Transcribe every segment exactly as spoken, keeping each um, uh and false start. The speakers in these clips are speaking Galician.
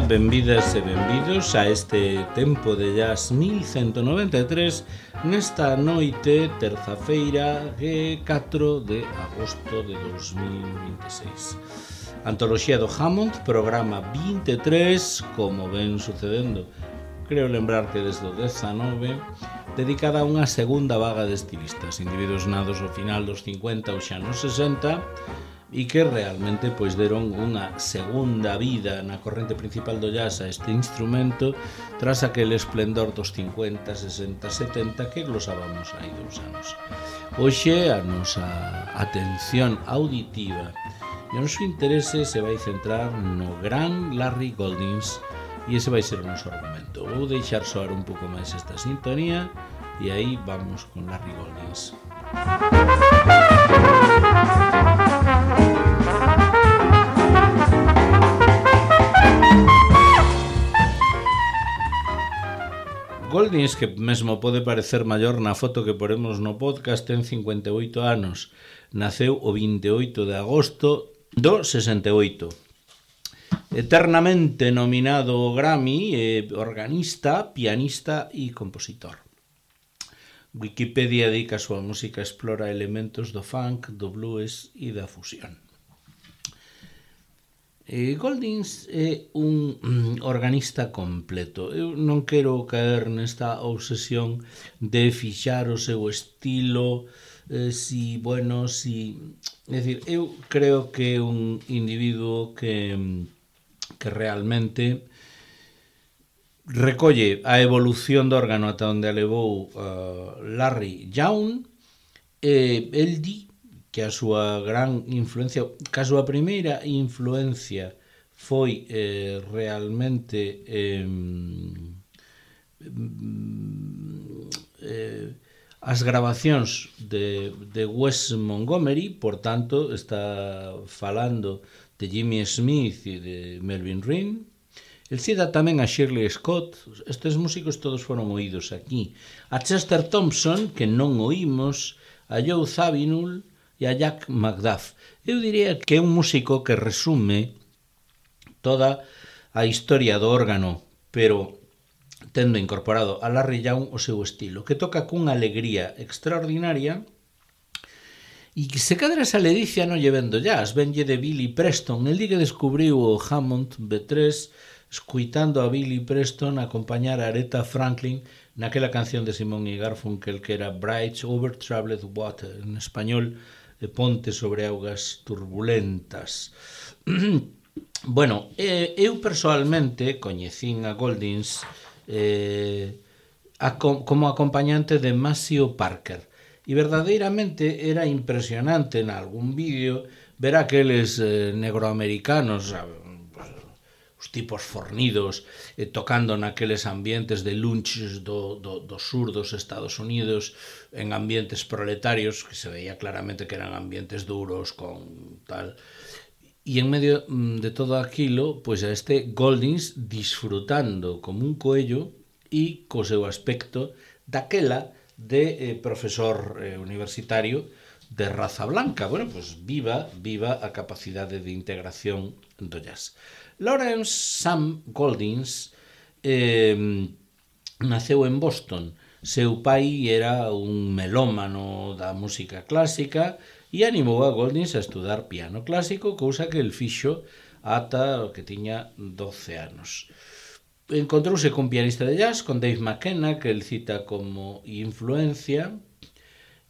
benvidas e benvidos a este tempo de jazz mil ciento noventa e tres nesta noite terza-feira catro de agosto de dos mil vinte e seis. Antoloxía do Hammond, programa vinte e tres, como ven sucedendo, creo lembrar que desde o dezanove, dedicada a unha segunda vaga de estilistas, individuos nados ao final dos cincuenta ou xa nos sesenta, e que realmente pois deron unha segunda vida na corrente principal do jazz a este instrumento tras aquele esplendor dos cincuenta, sesenta, setenta que glosábamos hai dous anos. Hoxe a nosa atención auditiva e o noso interese se vai centrar no gran Larry Goldings e ese vai ser o noso argumento. Vou deixar soar un pouco máis esta sintonía e aí vamos con Larry Goldings. Goldings, que mesmo pode parecer maior na foto que poremos no podcast, ten cincuenta e oito anos. Naceu o vinte e oito de agosto do sesenta e oito. Eternamente nominado ao Grammy, eh, organista, pianista e compositor. Wikipedia dedica a súa música explora elementos do funk, do blues e da fusión. Eh, Goldings é un organista completo. Eu non quero caer nesta obsesión de fixar o seu estilo, eh, si, bueno, si... É dicir, eu creo que é un individuo que, que realmente recolle a evolución do órgano ata onde a levou uh, Larry Young. Eh, el di que a súa gran influencia, que a súa primeira influencia foi eh, realmente eh, eh, as grabacións de, de Wes Montgomery, por tanto, está falando de Jimmy Smith e de Melvin Rinn. El cita tamén a Shirley Scott. Estes músicos todos foron oídos aquí. A Chester Thompson, que non oímos, a Joe Zawinul e a Jack McDuff. Eu diría que é un músico que resume toda a historia do órgano, pero tendo incorporado a Larry Young o seu estilo, que toca cunha alegría extraordinaria e que se cadra esa ledicia non lle vendo jazz, venlle de Billy Preston. El di que descubriu o Hammond B tres escuitando a Billy Preston acompañar a Aretha Franklin naquela canción de Simon y Garfunkel que era Bridge over Troubled Water, en español, de Ponte sobre augas turbulentas. Bueno, eh, eu personalmente coñecín a Goldings eh, a, como acompañante de Maceo Parker e verdadeiramente era impresionante en algún vídeo ver aqueles eh, negroamericanos, os tipos fornidos, eh, tocando naqueles ambientes de lunches do, do, do sur dos Estados Unidos, en ambientes proletarios, que se veía claramente que eran ambientes duros, con tal... E en medio de todo aquilo, pois a este Goldings disfrutando como un coello e co seu aspecto daquela de eh, profesor eh, universitario de raza blanca. Bueno, pois viva, viva a capacidade de integración do jazz. Lawrence Sam Goldings eh, naceu en Boston. Seu pai era un melómano da música clásica e animou a Goldings a estudar piano clásico, cousa que el fixo ata o que tiña doce anos. Encontrouse cun pianista de jazz, con Dave McKenna, que el cita como influencia,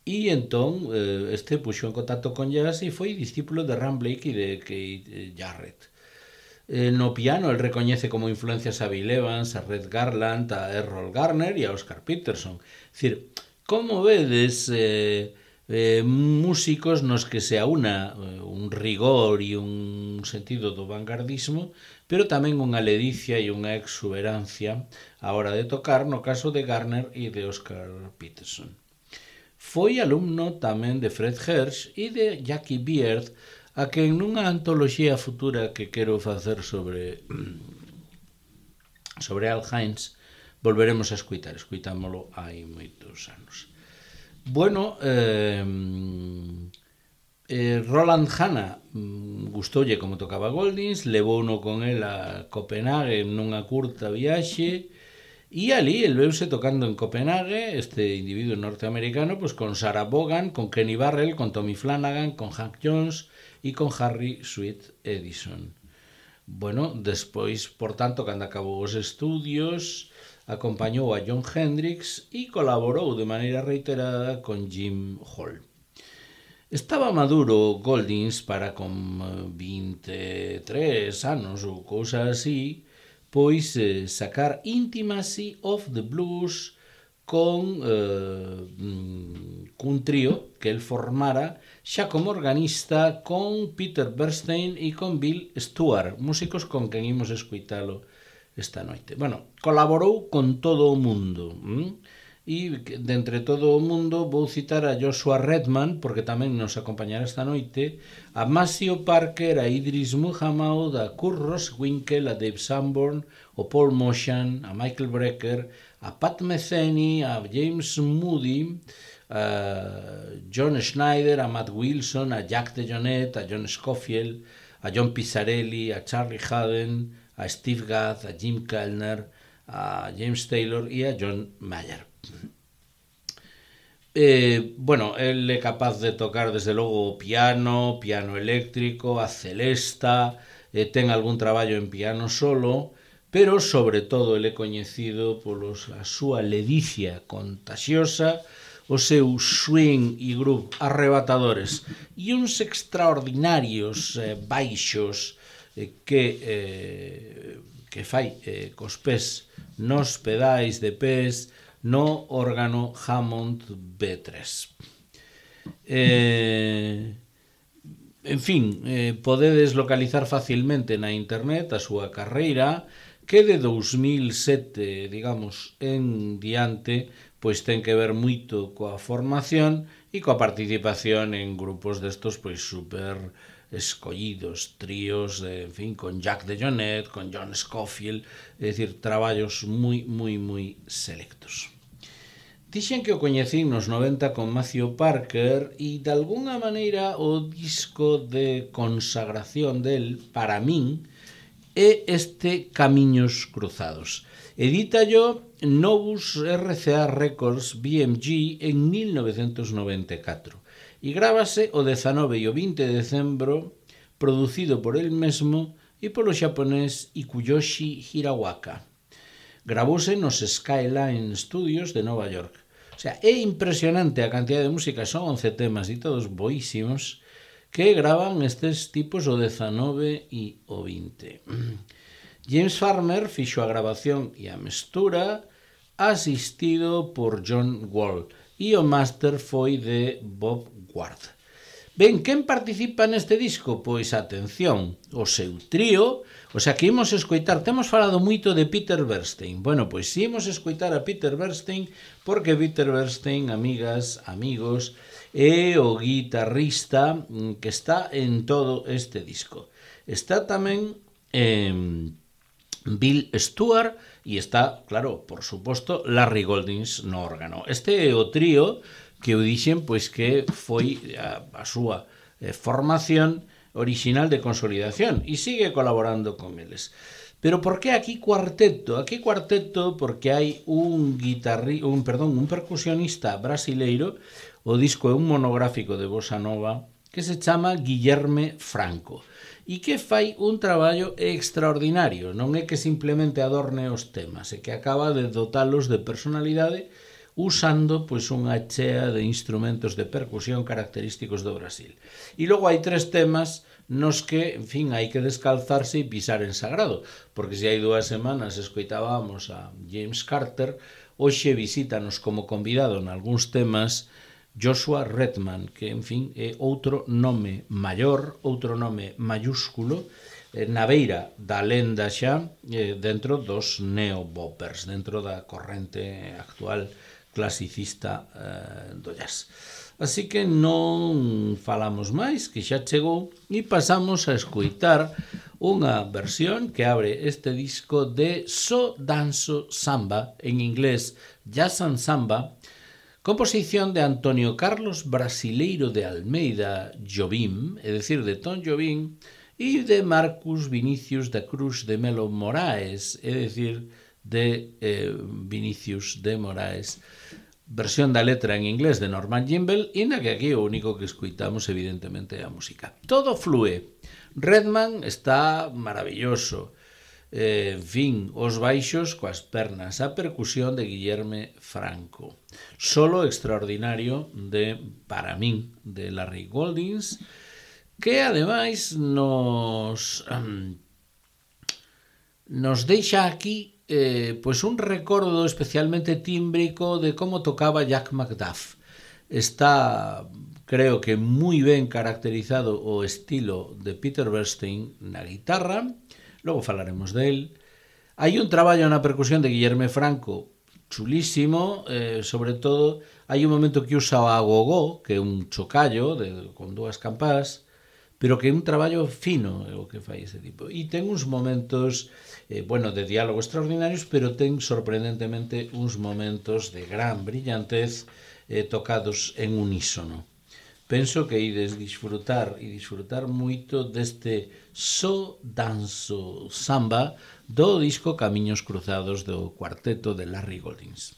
e entón este puxo en contacto con jazz e foi discípulo de Ram Blake e de Keith Jarrett. No piano, el recoñece como influencias a Bill Evans, a Red Garland, a Errol Garner e a Oscar Peterson. É dicir, como vedes... Eh, Eh, músicos nos que se aúna eh, un rigor e un sentido do vanguardismo, pero tamén unha ledicia e unha exuberancia a hora de tocar, no caso de Garner e de Oscar Peterson. Foi alumno tamén de Fred Hersch e de Jackie Beard, a que nunha antoloxía futura que quero facer sobre sobre Al Hines volveremos a escuitar, escuitámolo hai moitos anos. Bueno, eh, eh, Roland Hanna gustoulle como tocaba Goldings, levouno con el a Copenhague nunha curta viaxe, e ali el veuse tocando en Copenhague, este individuo norteamericano, pues con Sarah Vaughan, con Kenny Barrell, con Tommy Flanagan, con Hank Jones e con Harry Sweet Edison. Bueno, despois, por tanto, cando acabou os estudios, acompañou a Jon Hendricks e colaborou de maneira reiterada con Jim Hall. Estaba maduro Goldings para con vinte e tres anos ou cousa así, pois eh, sacar Intimacy of the Blues con eh, cun trío que el formara xa como organista con Peter Bernstein e con Bill Stewart, músicos con quen imos escuitalo esta noite. Bueno, colaborou con todo o mundo, hm? E de entre todo o mundo vou citar a Joshua Redman, porque tamén nos acompañará esta noite, a Maceo Parker, a Idris Muhammad, a Kurt Roswinkel, a Dave Sanborn, o Paul Motian, a Michael Brecker, a Pat Metheny, a James Moody, a John Schneider, a Matt Wilson, a Jack DeJohnette, a John Scofield, a John Pizzarelli, a Charlie Haden, a Steve Gadd, a Jim Kellner, a James Taylor e a John Mayer. Eh, bueno, el é capaz de tocar desde logo o piano, piano eléctrico, a celesta, eh, ten algún traballo en piano solo, pero sobre todo el é coñecido polos a súa ledicia contaxiosa, o seu swing e groove arrebatadores e uns extraordinarios eh, baixos eh, que eh, que fai eh, cos pés nos pedais de pés no órgano Hammond B tres. Eh, en fin, eh, podedes localizar facilmente na internet a súa carreira, que de dous mil sete, digamos, en diante, pois ten que ver moito coa formación e coa participación en grupos destos pois super escollidos, tríos, en fin, con Jack DeJohnette, con John Scofield, é dicir, traballos moi, moi, moi selectos. Dixen que o coñecín nos noventa con Maceo Parker e, de alguna maneira, o disco de consagración del, para min, é este Camiños Cruzados. Edítallo Novus R C A Records B M G en mil novecentos noventa e catro. E grábase o dezanove e o vinte de decembro, producido por el mesmo e polo xaponés Ikuyoshi Hirawaka. Gravouse nos Skyline Studios de Nova York. O sea, é impresionante a cantidad de música, son once temas e todos boísimos, que gravan estes tipos o dezanove e o vinte. James Farmer fixo a grabación e a mestura, asistido por John Wall, e o máster foi de Bob Ward. Ben, quen participa neste disco? Pois, atención, o seu trío, o sea, que imos escoitar, temos falado moito de Peter Bernstein. Bueno, pois si imos escoitar a Peter Bernstein, porque Peter Bernstein, amigas, amigos, é o guitarrista que está en todo este disco. Está tamén eh, Bill Stewart e está, claro, por suposto, Larry Goldings no órgano. Este é o trío que eu dixen pois que foi a, a súa eh, formación original de consolidación e sigue colaborando con eles. Pero por que aquí cuarteto? Aquí cuarteto porque hai un guitarri, un, perdón, un percusionista brasileiro. O disco é un monográfico de bossa nova que se chama Guillerme Franco e que fai un traballo extraordinario. Non é que simplemente adorne os temas, é que acaba de dotalos de personalidade usando pois unha chea de instrumentos de percusión característicos do Brasil. E logo hai tres temas nos que, en fin, hai que descalzarse e pisar en sagrado, porque se hai dúas semanas escoitábamos a James Carter, hoxe visítanos como convidado en algúns temas Joshua Redman, que, en fin, é outro nome maior, outro nome mayúsculo, na beira da lenda xa, dentro dos neo-boppers, dentro da corrente actual clasicista eh, do jazz. Así que non falamos máis, que xa chegou, e pasamos a escoitar unha versión que abre este disco de So Danzo Samba, en inglés Jazz and Samba, composición de Antonio Carlos Brasileiro de Almeida Jobim, é dicir, de Tom Jobim, e de Marcus Vinicius da Cruz de Melo Moraes, é dicir, de eh, Vinicius de Moraes, versión da letra en inglés de Norman Gimbel, e na que aquí o único que escuitamos evidentemente é a música. Todo flúe. Redman está maravilloso. Eh, en fin, os baixos coas pernas, a percusión de Guillerme Franco. Solo extraordinario de, para min, de Larry Goldings, que ademais nos um, nos deixa aquí eh, pues un recordo especialmente tímbrico de como tocaba Jack McDuff. Está, creo que moi ben caracterizado o estilo de Peter Bernstein na guitarra, logo falaremos del. Hai un traballo na percusión de Guillerme Franco chulísimo, eh, sobre todo hai un momento que usa o agogó, que é un chocallo de, con dúas campás, pero que é un traballo fino é o que fai ese tipo. E ten uns momentos, eh, bueno, de diálogo extraordinarios, pero ten sorprendentemente uns momentos de gran brillantez eh, tocados en unísono. Penso que ides disfrutar e disfrutar moito deste So Danzo Samba do disco Camiños Cruzados do cuarteto de Larry Goldings.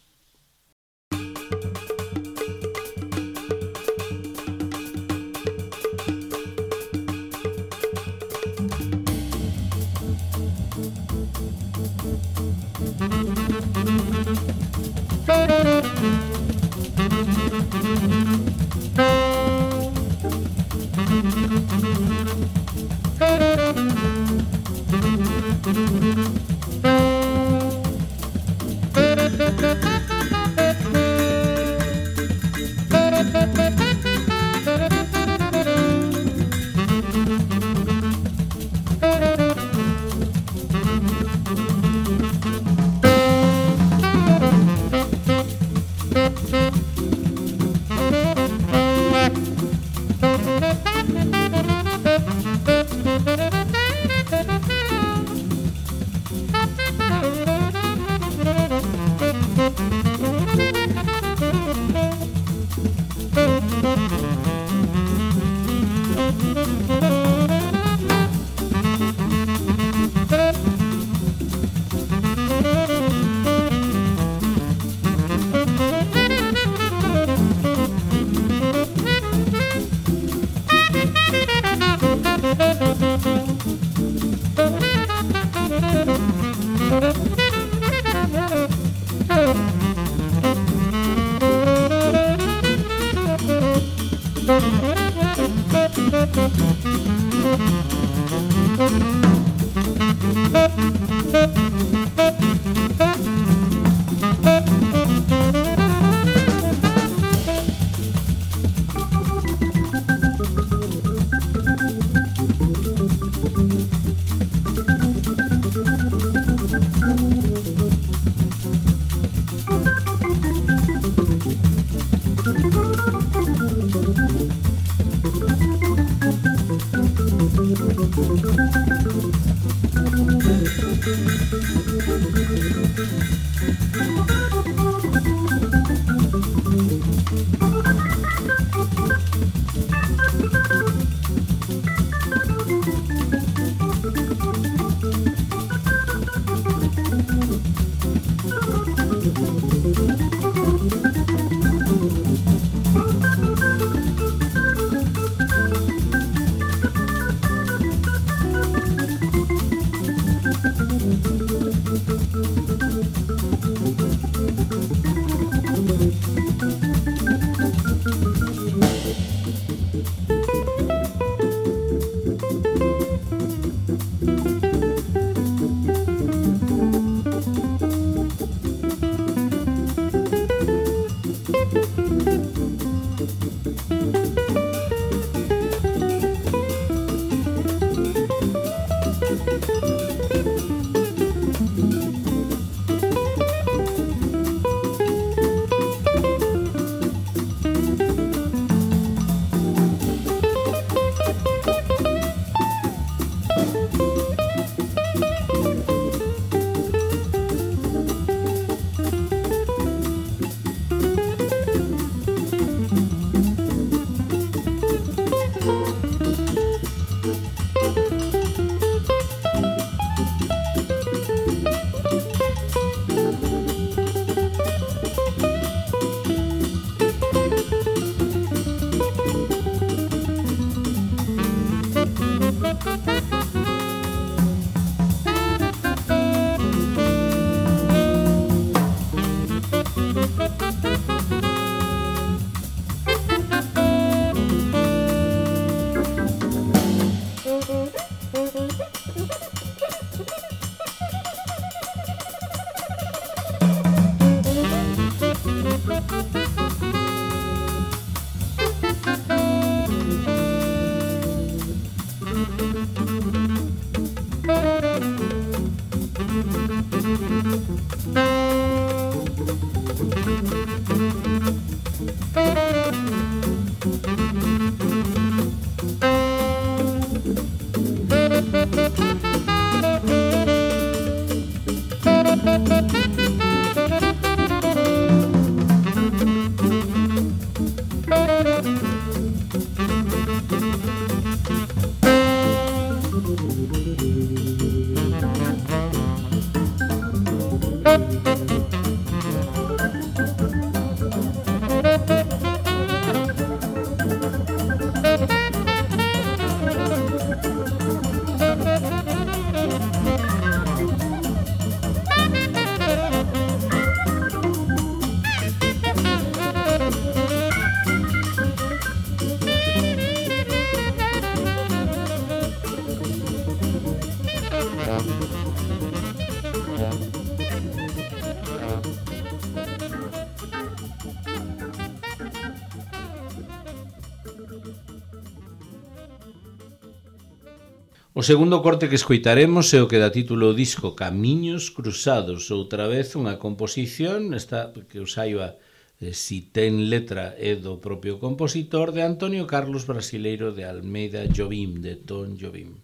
O segundo corte que escoitaremos é o que dá título ao disco Camiños Cruzados, outra vez unha composición, esta que os saiba eh, si ten letra é do propio compositor, de Antonio Carlos Brasileiro de Almeida Jobim, de Tom Jobim.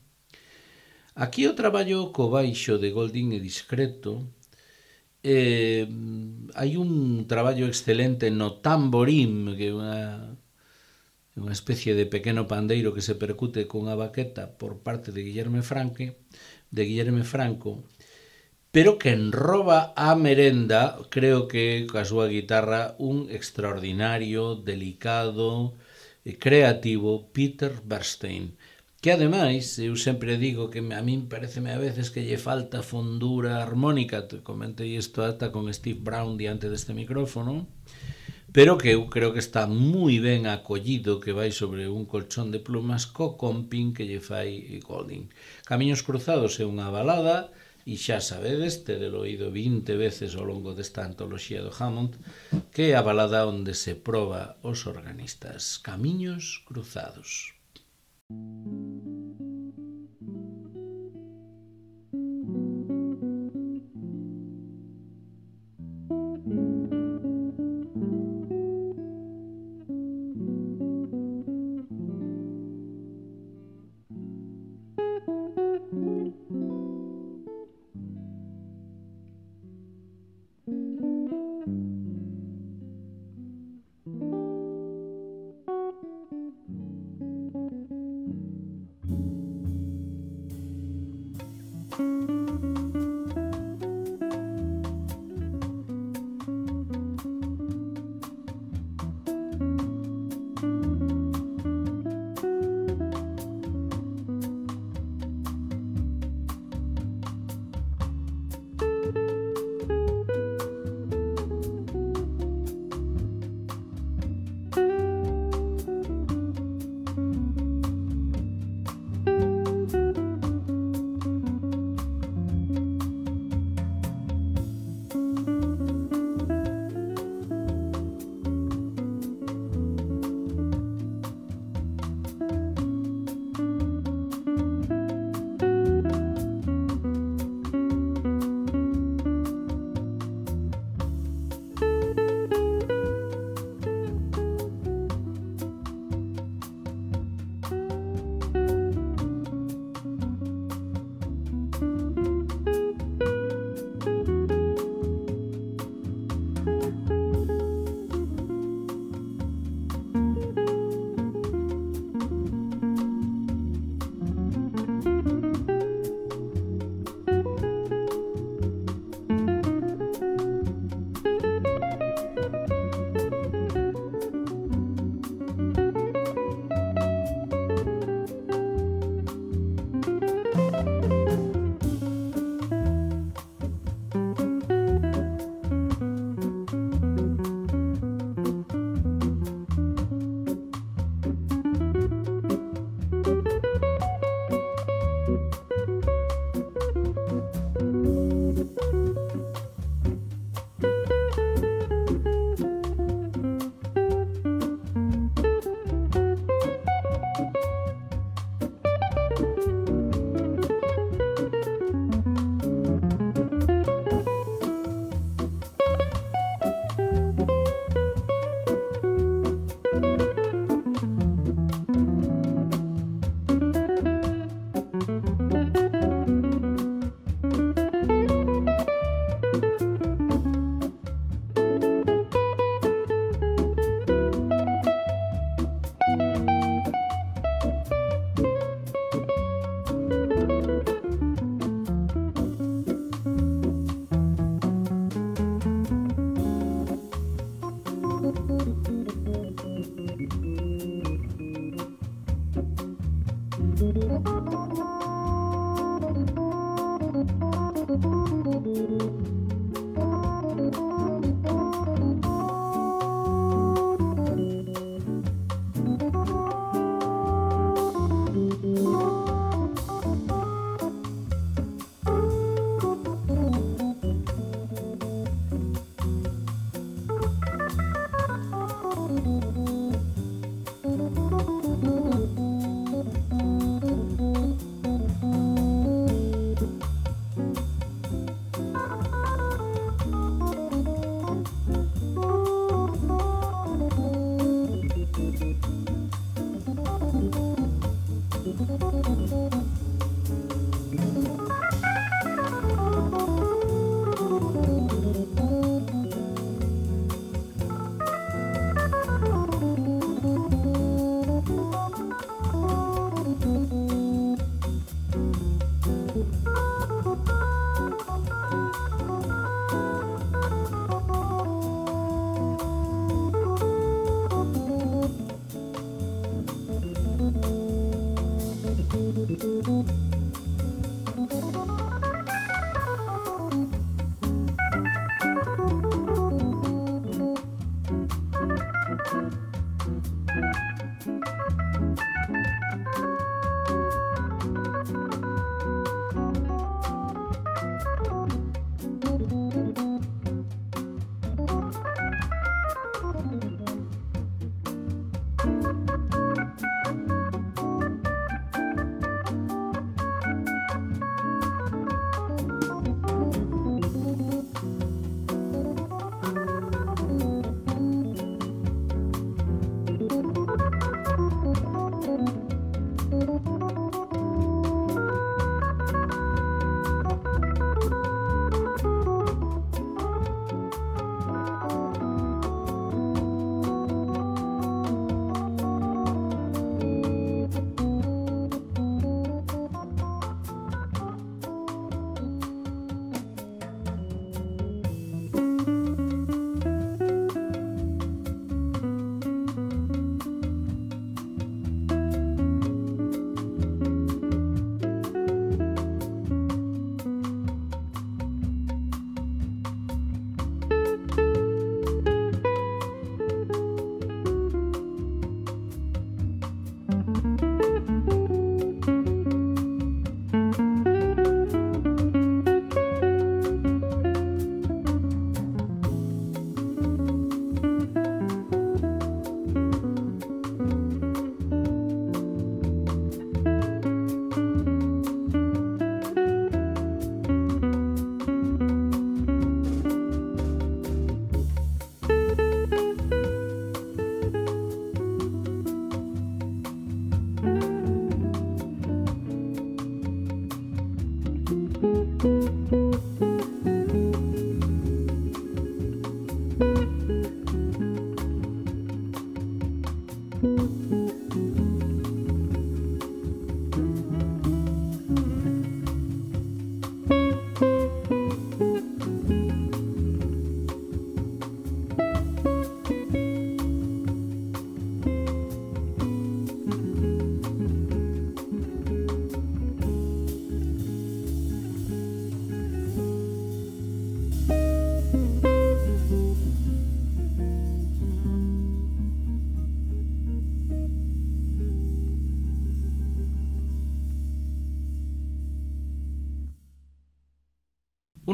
Aquí o traballo co baixo de Golding é discreto, eh, hai un traballo excelente no tamborim, que é unha... unha especie de pequeno pandeiro que se percute cunha baqueta por parte de Guillerme Franque, de Guillerme Franco, pero que enroba a merenda, creo que coa súa guitarra, un extraordinario, delicado e creativo Peter Bernstein, que ademais, eu sempre digo que a min pareceme a veces que lle falta fondura armónica, comentei isto ata con Steve Brown diante deste micrófono, pero que eu creo que está moi ben acollido, que vai sobre un colchón de plumas co comping que lle fai Golding. Camiños Cruzados é unha balada, e xa sabedes, tedelo oído vinte veces ao longo desta antoloxía do Hammond, que é a balada onde se proba os organistas. Camiños Cruzados.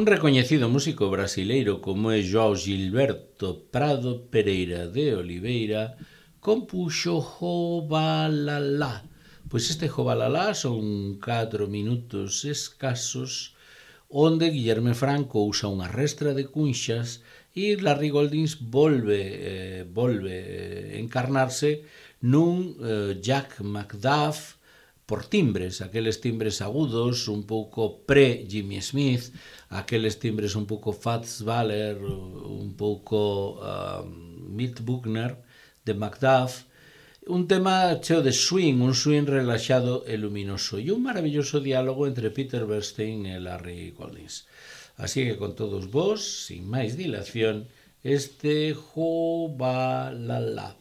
Un recoñecido músico brasileiro como é João Gilberto Prado Pereira de Oliveira compuxo Jobalalá. Pois este Jobalalá son catro minutos escasos onde Guillerme Franco usa unha restra de cunxas e Larry Goldings volve, eh, volve eh, encarnarse nun eh, Jack McDuff por timbres, aqueles timbres agudos, un pouco pre-Jimmy Smith, aqueles timbres un pouco Fats Waller, un pouco uh, Milt Buckner de McDuff, un tema cheo de swing, un swing relaxado e luminoso, e un maravilloso diálogo entre Peter Bernstein e Larry Goldings. Así que con todos vos, sin máis dilación, este Jobalalá.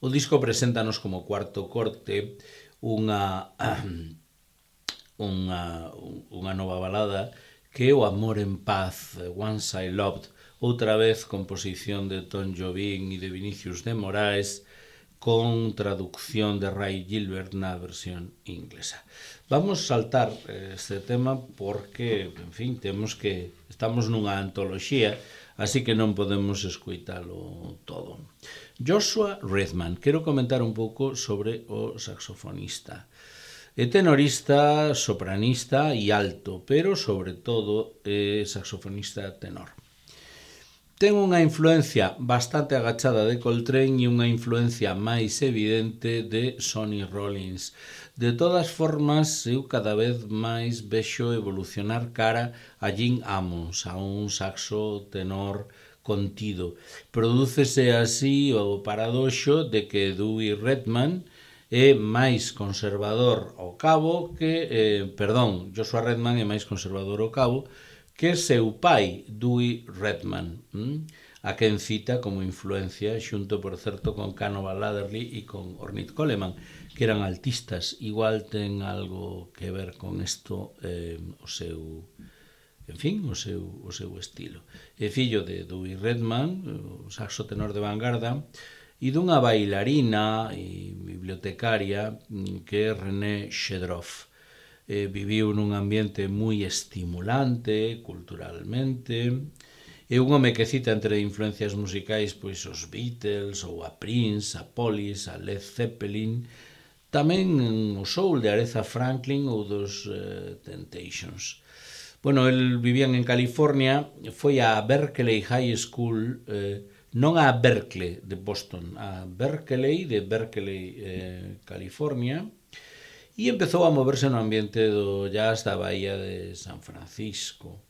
O disco preséntanos como cuarto corte unha, unha, unha nova balada que é O amor en paz, Once I Loved, outra vez composición de Tom Jobim e de Vinicius de Moraes, con traducción de Ray Gilbert na versión inglesa. Vamos saltar este tema porque, en fin, temos que estamos nunha antoloxía, así que non podemos escoitalo todo. Joshua Redman, quero comentar un pouco sobre o saxofonista. É tenorista, sopranista e alto, pero sobre todo é saxofonista tenor. Ten unha influencia bastante agachada de Coltrane e unha influencia máis evidente de Sonny Rollins. De todas formas, eu cada vez máis vexo evolucionar cara a Jim Ammons, a un saxo tenor contido. Prodúcese así o paradoxo de que Dewey Redman é máis conservador ao cabo que, eh, perdón, Joshua Redman é máis conservador ao cabo que seu pai, Dewey Redman, hm? a quen cita como influencia xunto, por certo, con Canova Ladderly e con Ornette Coleman, que eran altistas. Igual ten algo que ver con isto eh, o seu... En fin, o seu, o seu estilo. É fillo de Dewey Redman, o saxo tenor de vanguarda, e dunha bailarina e bibliotecaria que é René Shedroff. Eh, viviu nun ambiente moi estimulante culturalmente. É un home que cita entre influencias musicais pois os Beatles ou a Prince, a Police, a Led Zeppelin, tamén o soul de Aretha Franklin ou dos uh, Temptations. Bueno, el vivían en California, foi a Berkeley High School, eh, non a Berkeley de Boston, a Berkeley de Berkeley, eh, California, e empezou a moverse no ambiente do jazz da Bahía de San Francisco.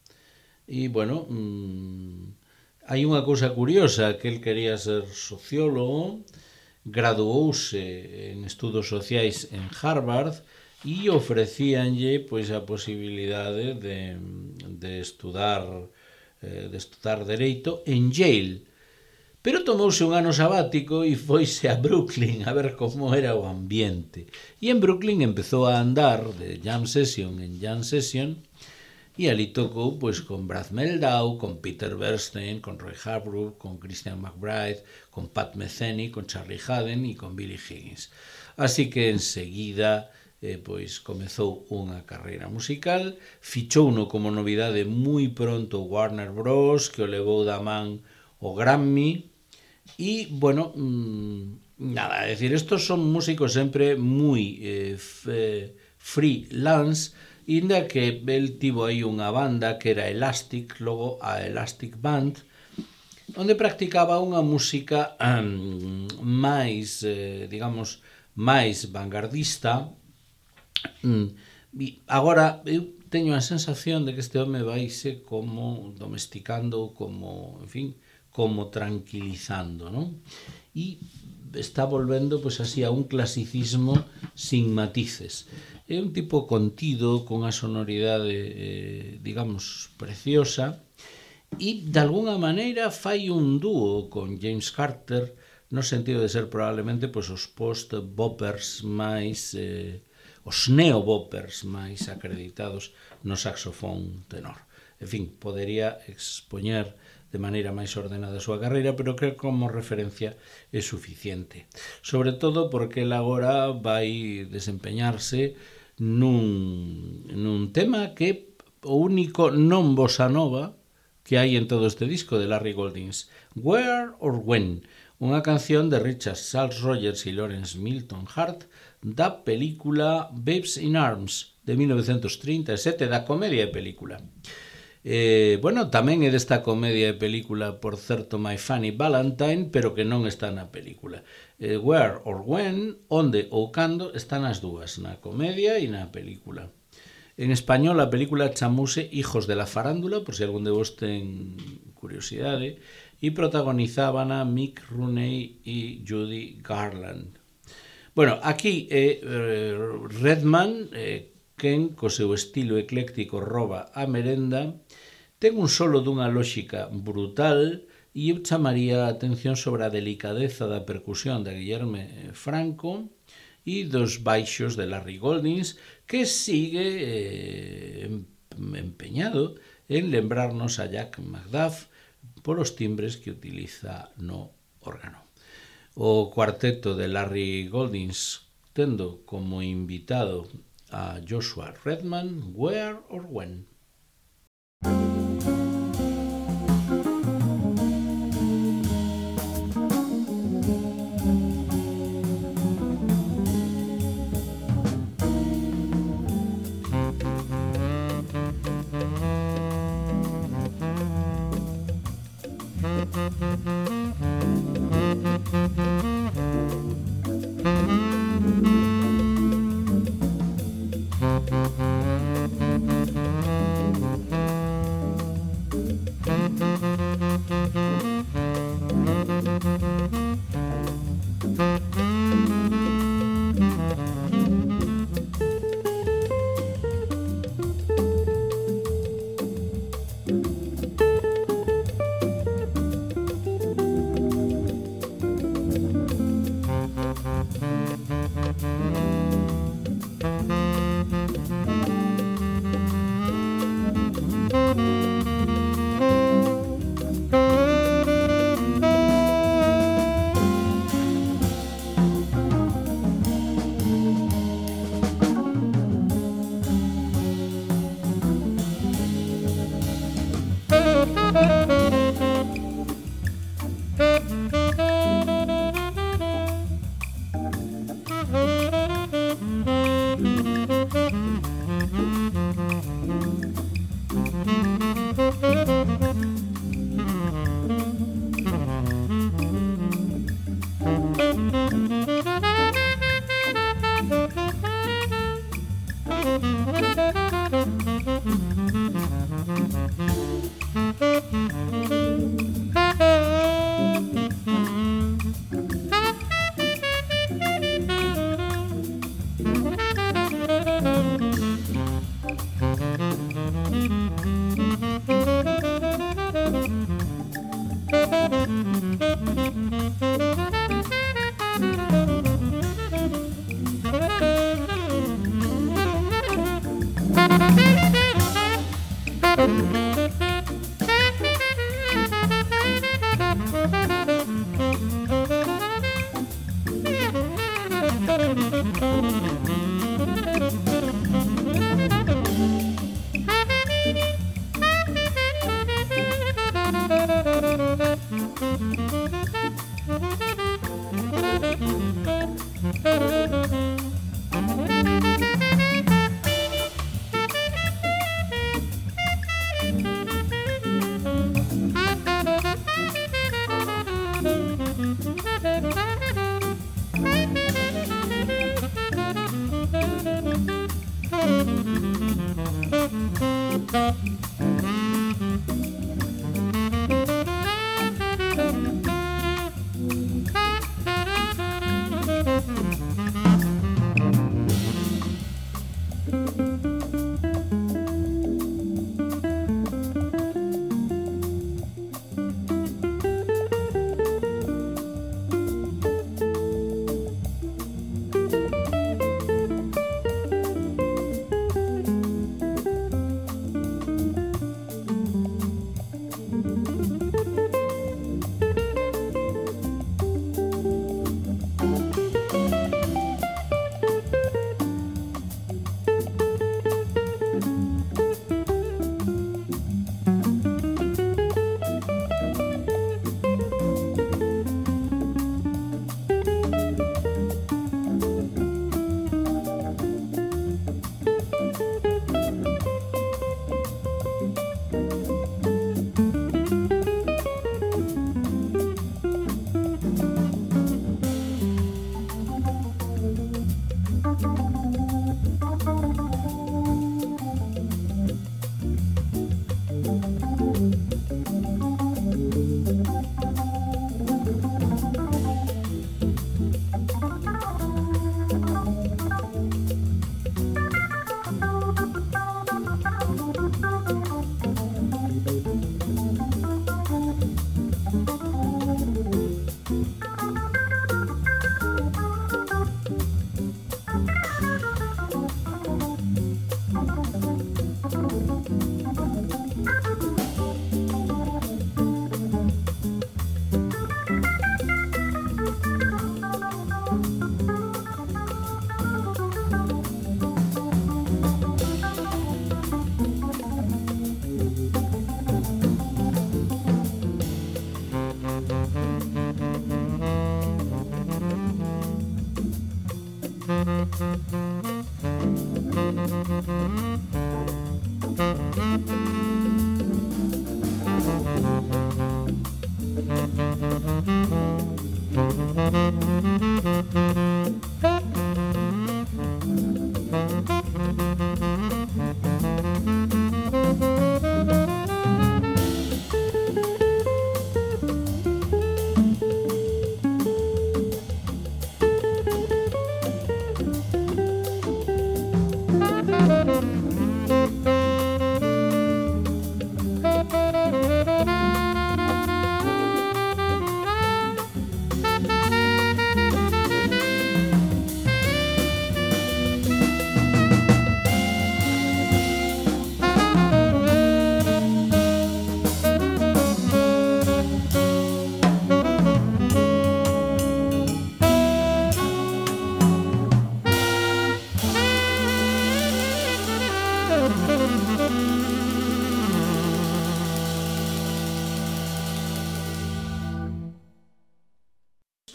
E, bueno, mmm, hai unha cousa curiosa, que el quería ser sociólogo, graduouse en estudos sociais en Harvard e ofrecíanlle pois a posibilidade de, de estudar de estudar Dereito en Yale, pero tomouse un ano sabático e foise a Brooklyn a ver como era o ambiente, e en Brooklyn empezou a andar de jam session en jam session e ali tocou pois con Brad Mehldau, con Peter Bernstein, con Roy Hargrove, con Christian McBride, con Pat Metheny, con Charlie Haden e con Billy Higgins. Así que enseguida eh, pois comezou unha carreira musical, fichouno como novidade moi pronto Warner Bros, que o levou da man o Grammy, e, bueno, mmm, nada, é dicir, estos son músicos sempre moi eh, freelance, inda que el tivo aí unha banda que era Elastic, logo a Elastic Band, onde practicaba unha música um, máis, eh, digamos, máis vanguardista. Mm, e agora eu teño a sensación de que este home vaise como domesticando, como, en fin, como tranquilizando, non? E está volvendo, pois así, a un clasicismo sin matices. É un tipo contido, con unha sonoridade, eh, digamos, preciosa, e, de alguna maneira, fai un dúo con James Carter, no sentido de ser probablemente pois, os post-boppers máis, eh, os neo-boppers máis acreditados no saxofón tenor. En fin, podería expoñer de maneira máis ordenada a súa carreira, pero creo que como referencia é suficiente. Sobre todo porque el agora vai desempeñarse nun, nun tema que o único non bossa nova que hai en todo este disco de Larry Goldings, Where or When, unha canción de Richard Charles Rogers e Lawrence Milton Hart da película Babes in Arms de mil novecientos trinta e sete, da comedia de película. Eh, bueno, tamén é desta comedia de película, por certo, My Funny Valentine, pero que non está na película. Eh, Where or When, onde ou cando, están as dúas, na comedia e na película. En español, a película chamouse Hijos de la Farándula, por se algún de vos ten curiosidade, e protagonizaban a Mick Rooney e Judy Garland. Bueno, aquí é eh, Redman, eh, quen, co seu estilo ecléctico, roba a merenda, ten un solo dunha lóxica brutal e eu chamaría a atención sobre a delicadeza da percusión de Guillerme Franco e dos baixos de Larry Goldings, que sigue eh, empeñado en lembrarnos a Jack McDuff polos timbres que utiliza no órgano. O cuarteto de Larry Goldings tendo como invitado a Joshua Redman, Where or When.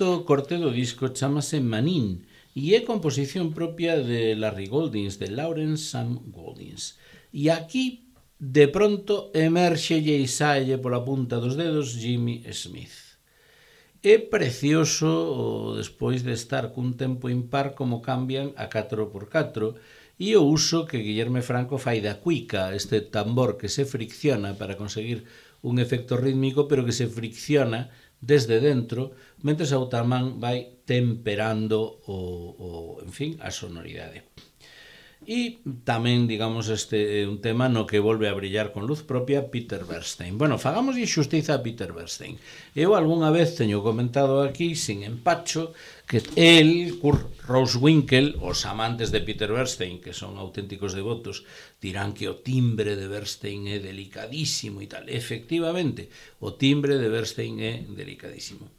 O corte do disco chamase Manin e é composición propia de Larry Goldings, de Lawrence Sam Goldings. E aquí, de pronto, emerxelle e saelle pola punta dos dedos Jimmy Smith. É precioso, despois de estar cun tempo impar, como cambian a catro por catro e o uso que Guillerme Franco fai da cuica, este tambor que se fricciona para conseguir un efecto rítmico, pero que se fricciona desde dentro, mentres a outra man vai temperando o, o, en fin, a sonoridade. E tamén, digamos, este é un tema no que volve a brillar con luz propia Peter Bernstein. Bueno, fagamos xustiza a Peter Bernstein. Eu algunha vez teño comentado aquí, sin empacho, que el, Kurt Rosewinkle, os amantes de Peter Bernstein, que son auténticos devotos, dirán que o timbre de Bernstein é delicadísimo e tal. Efectivamente, o timbre de Bernstein é delicadísimo.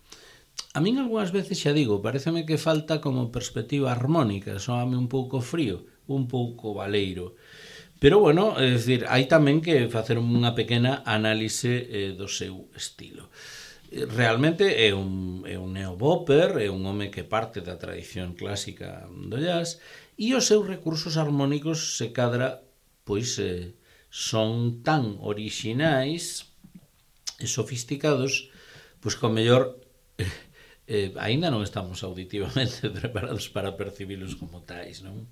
A min algunhas veces, xa digo, pareceme que falta como perspectiva armónica, soame un pouco frío, un pouco baleiro. Pero, bueno, é dicir, hai tamén que facer unha pequena análise eh, do seu estilo. Realmente é un, é un neobopper, é un home que parte da tradición clásica do jazz, e os seus recursos armónicos se cadra, pois, eh, son tan orixinais e sofisticados, pois, que o mellor eh, eh, aínda non estamos auditivamente preparados para percibilos como tais, non?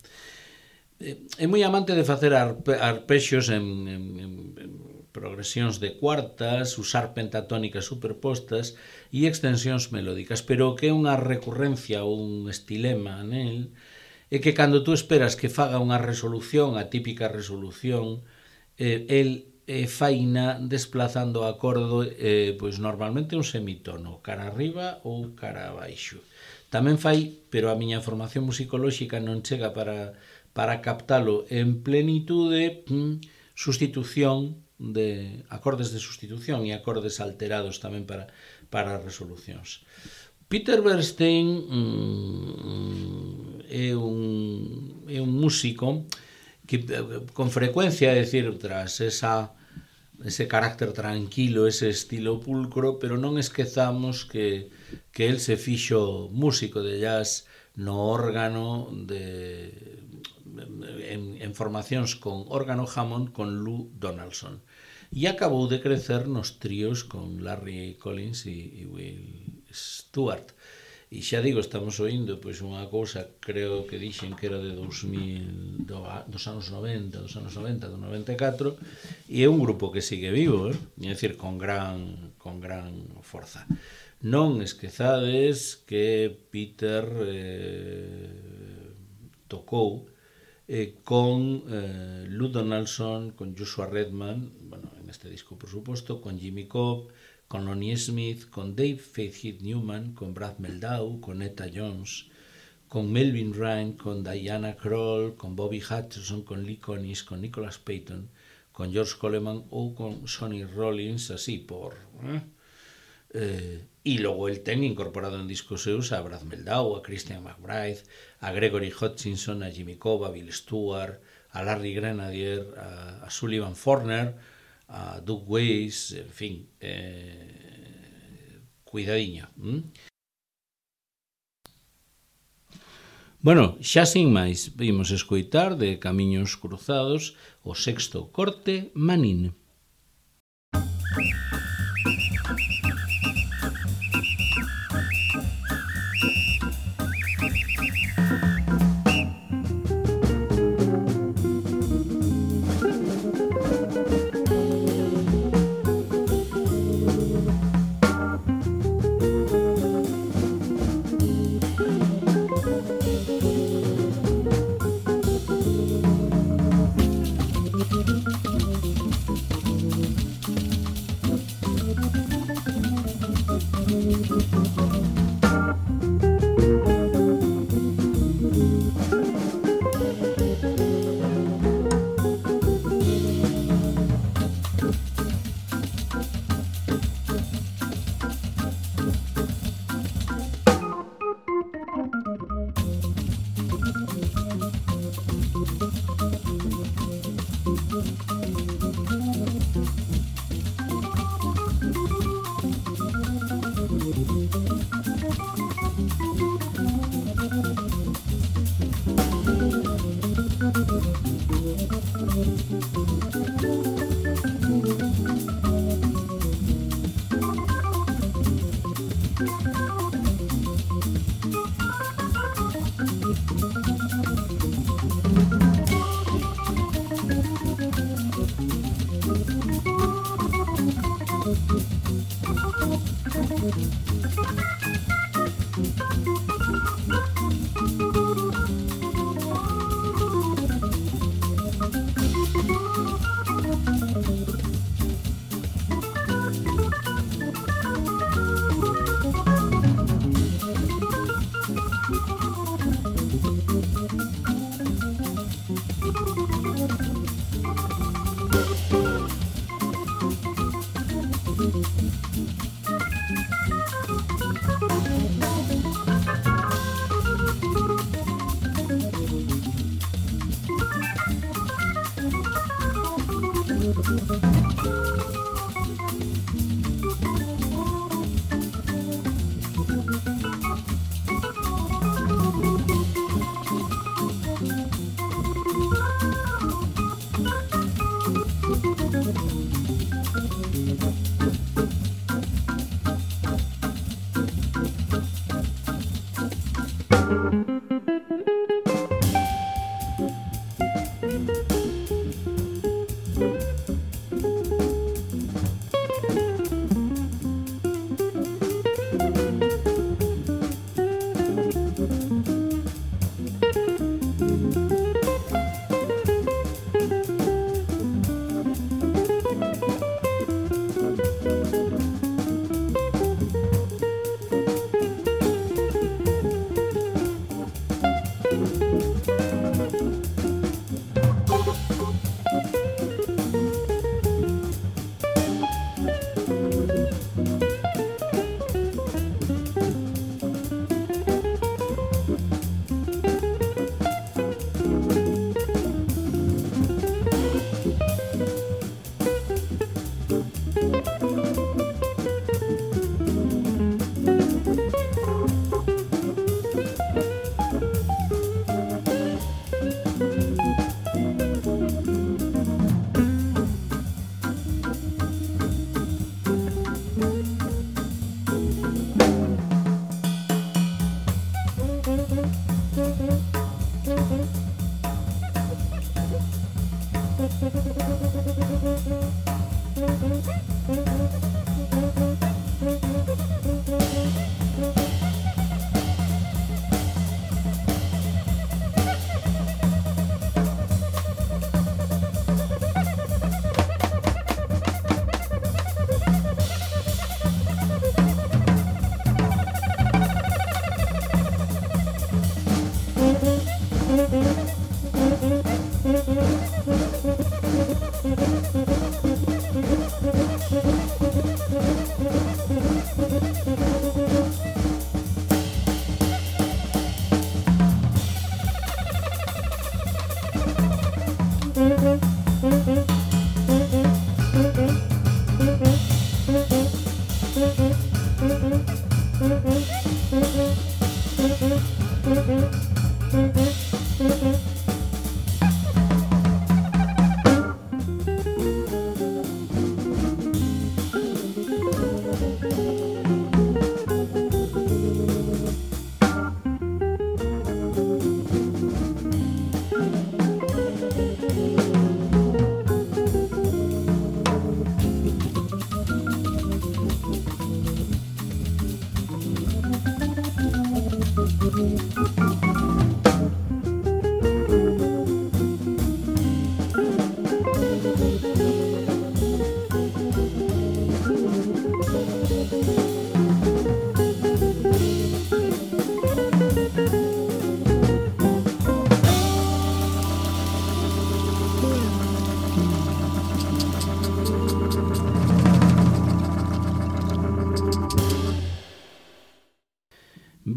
É moi amante de facer arpexios en, en, en progresións de cuartas, usar pentatónicas superpostas e extensións melódicas, pero que é unha recurrencia ou un estilema nel é que cando tú esperas que faga unha resolución, a típica resolución, eh, el eh, faina desplazando o acorde eh, pois normalmente un semitono, cara arriba ou cara abaixo. Tamén fai, pero a miña formación musicolóxica non chega para para captalo en plenitude, sustitución de acordes de sustitución e acordes alterados tamén para, para resolucións. Peter Bernstein mm, é, un, é un músico que con frecuencia, é dicir, tras esa, ese carácter tranquilo, ese estilo pulcro, pero non esquezamos que, que el se fixo músico de jazz no órgano de... En, en formacións con órgano Hammond con Lou Donaldson e acabou de crecer nos tríos con Larry Collins e, e Will Stewart. E xa digo, estamos oindo pois unha cousa, creo que dixen que era de dos mil, do, dos anos noventa, dos anos noventa, do noventa e catro, e é un grupo que sigue vivo, eh? É dicir, con gran, con gran forza. Non esquezades que Peter eh, tocou Eh, con eh, Lou Donaldson, con Joshua Redman, bueno, en este disco por supuesto, con Jimmy Cobb, con Lonnie Smith, con Dave Fairhead Newman, con Brad Mehldau, con Etta Jones, con Melvin Ryan, con Diana Krall, con Bobby Hutcherson, con Lee Konitz, con Nicholas Payton, con George Coleman ou con Sonny Rollins, así por... Eh? Eh, e logo el ten incorporado en discos seus a Brad Mehldau, a Christian McBride, a Gregory Hutchinson, a Jimmy Cobb, a Bill Stewart, a Larry Grenadier, a, a Sullivan Forner, a Doug Weiss, en fin, eh, cuidadiño. ¿Mm? Bueno, xa sin máis, vimos escoitar de Camiños Cruzados o sexto corte Manín.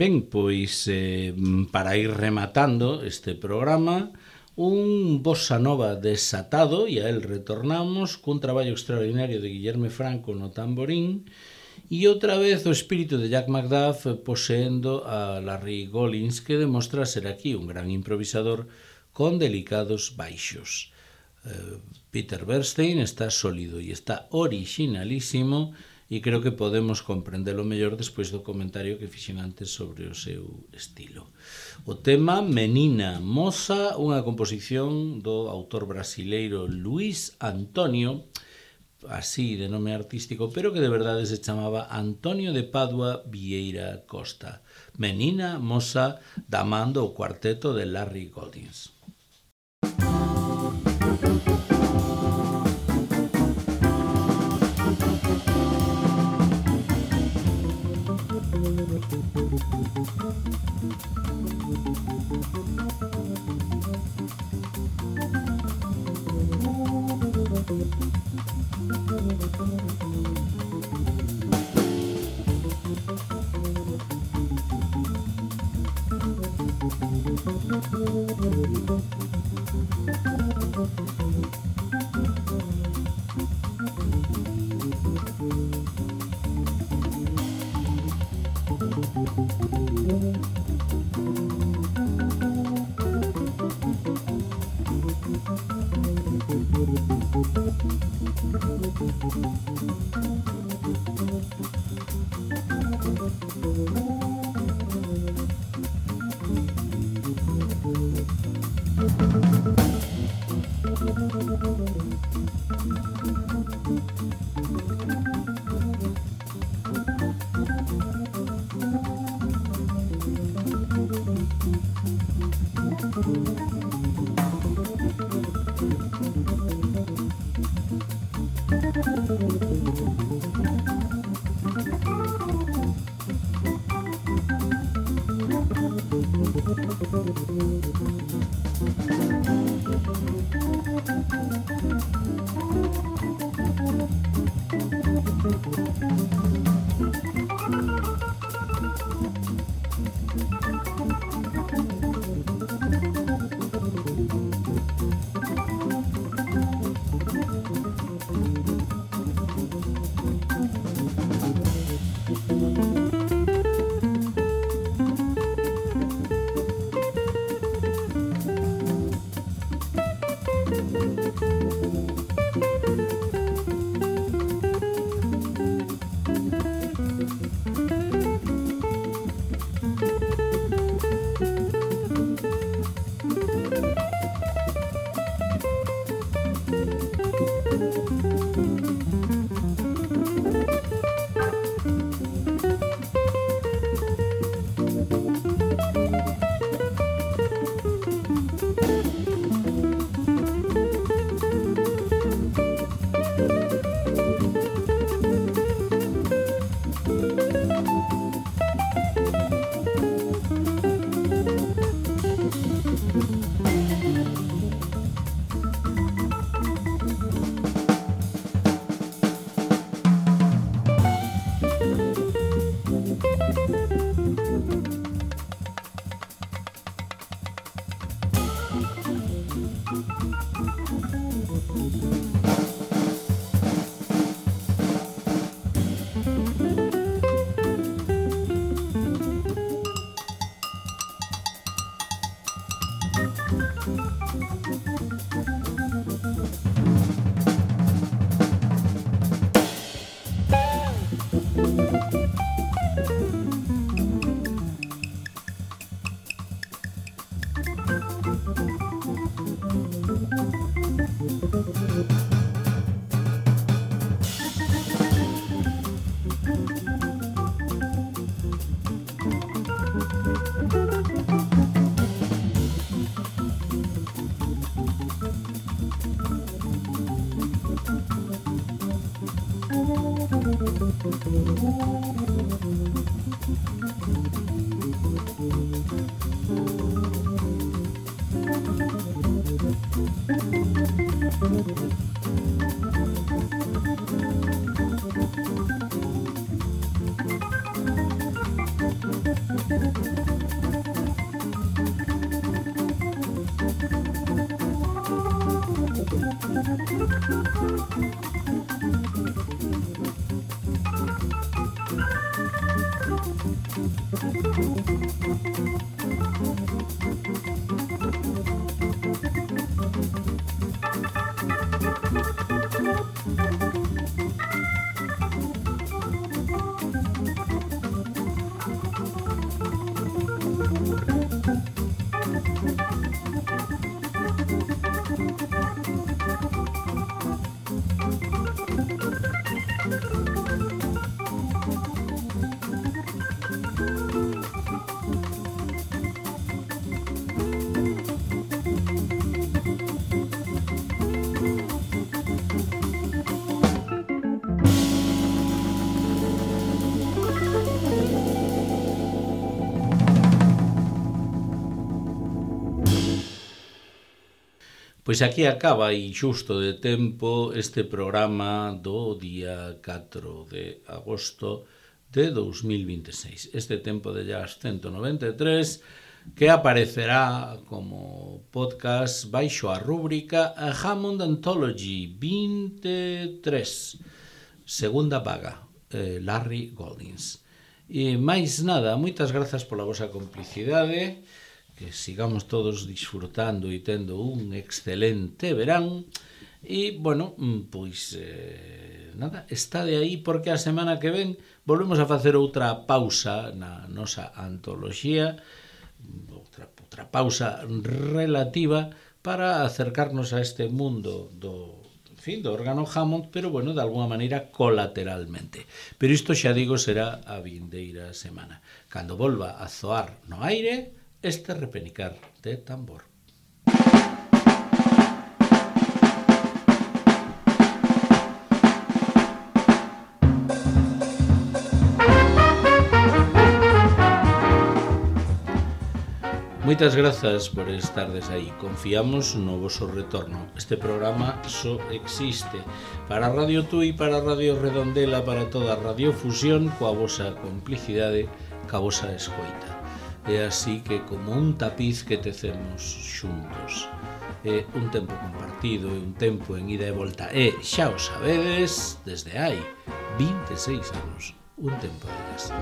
Ben, pois, eh, para ir rematando este programa, un bossa nova desatado, e a el retornamos, cun traballo extraordinario de Guillerme Franco no tamborín, e outra vez o espírito de Jack McDuff poseendo a Larry Gollins, que demostra ser aquí un gran improvisador con delicados baixos. Eh, Peter Bernstein está sólido e está originalísimo, e creo que podemos comprendelo mellor despois do comentario que fixen antes sobre o seu estilo. O tema Menina Moza, unha composición do autor brasileiro Luís Antonio, así de nome artístico, pero que de verdade se chamaba Antonio de Padua Vieira Costa. Menina Moza, da man do cuarteto de Larry Goldings. Pois aquí acaba e xusto de tempo este programa do día catro de agosto de dous mil vinte e seis. Este tempo de jazz ciento noventa e tres que aparecerá como podcast baixo a rúbrica Hammond Anthology vinte e tres, segunda paga, eh, Larry Goldings. E máis nada, moitas grazas pola vosa complicidade, que sigamos todos disfrutando e tendo un excelente verán. E, bueno, pois, eh, nada, está de aí porque a semana que ven volvemos a facer outra pausa na nosa antoloxía, outra, outra pausa relativa para acercarnos a este mundo do, en fin, do órgano Hammond, pero, bueno, de alguna maneira colateralmente. Pero isto, xa digo, será a vindeira semana, cando volva a zoar no aire este repenicar de tambor. Moitas grazas por estardes aí. Confiamos no voso retorno. Este programa só existe para Radio Tui, para Radio Redondela, para toda a radiofusión, coa vosa complicidade, coa vosa escoita. É así que como un tapiz que tecemos xuntos. É un tempo compartido, é un tempo en ida e volta. E xa o sabedes, desde hai vinte e seis anos, un tempo de jazz.